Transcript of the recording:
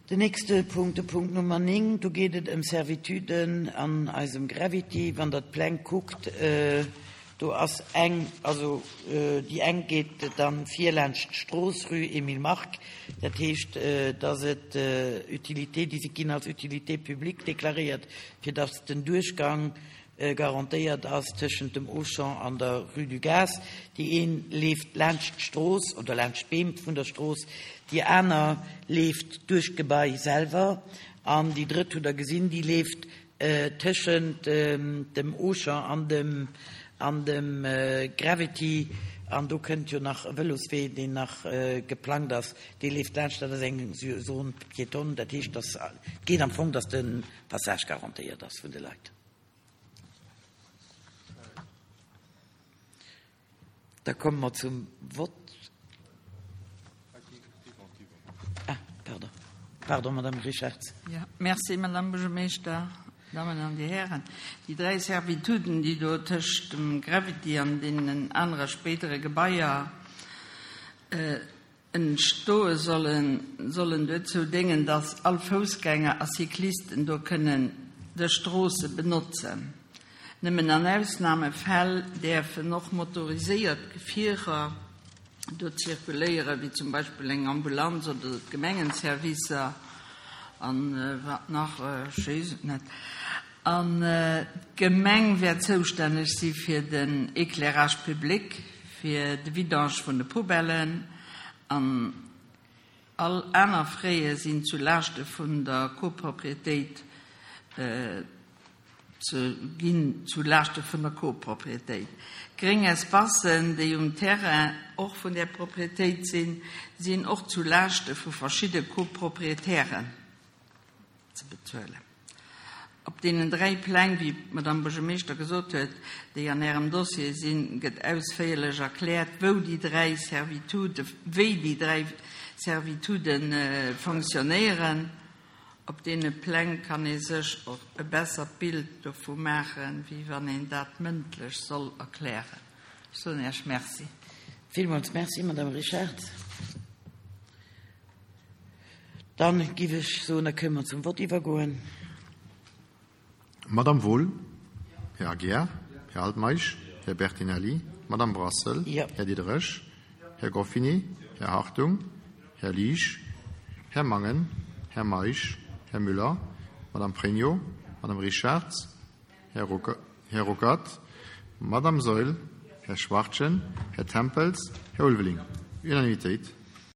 Den nächste Punkt, de Punkt Nummer 9, do geet et ëm Servituden an eisem Gravity. Wann Der d'Pläng kuckt, do ass eng, also déi eng geet dann vir laanscht d'Strooss, Rue Emile Mark. Dat heescht, dass et Utilité, déi si ginn als Utilité publique deklaréiert, fir dass den Duerchgang garantéiert ass tëschent dem Auchan an der Rue du Gaz. Déi een leeft laanscht d'Strooss oder laanscht d'Beem vun der Strooss, déi aner leeft duerch d'Gebai selwer an déi drëtt, hutt Der gesinn, déi leeft tëschent dem Auchan an dem an dem Gravity. An do kënnt jo nach e Vëloswee, deen nach geplangt ass, dee leeft laanscht. Dat ass eng Zone piétonne, dat heescht, dass et geet am Fong, dass de Passage garantéiert ass vun de Leit. Da komme mer zum Vott. Ah, pardon. Pardon, Madame Richartz. Ja, merci, Madame Buergermeeschter, Dammen an Dir Hären. Déi dräi Servituden, déi do tëscht dem Gravity an deenen anere spéidere Gebaier Entstoe sollen, sollen duerzou déngen, dass all Foussgänger a Cyclisten do kënnen dës Stroosse benotzen. Nëmmen an Ausnamefäll däerfen och motoriséiert Gefierer do zirkuléieren, wéi zum Beispill eng Ambulanz oder d'Gemengenservicer an wat nach, ech weess et net. An d'Gemeng wäert zoustänneg si fir den Éclairage public, fir de Vidange vun de Poubellen an all aner Fraie sinn zu Laaschte vun der Copropriétéit ze ginn, zu Laaschte vun der Copropriétéit. Gréng Espacen, déi um Terrain och vun där Propriétéit sinn, sinn och zu Laaschte vu verschidde Copropriétairen. ze bezuelen. Op deenen dräi Pläng, wéi d'Madame Buergermeeschter gesot huet, déi an Ärem Dossier sinn, gëtt ausféierlech erkläert, wou déi dräi Servituden, wéi déi dräi Servitude fonctionnéieren. Op deene Pläng kann ee sech och e bessert Bild dovu maachen, wéi wann een dat mëndlech soll erklären. Ech soen Iech Merci. Villmools Merci, Madame Richard. Dann giff ech soen, da kënne mer zum Vott iwwergoen. Madamm Wohl, Här Aguiar, Här Altmeisch, Här Bertinelli, Madamm Brassel, Här Diderich, Här Goffini, Här Hartung, Här Liesch, Här Mangen, Här Meisch, Här Müller, Madamm Pregno, Madamm Richartz, Här Ruckert, Madamm Saeul, Här Schwachtgen, Här Tempels, Här Ulveling. Unanimitéit.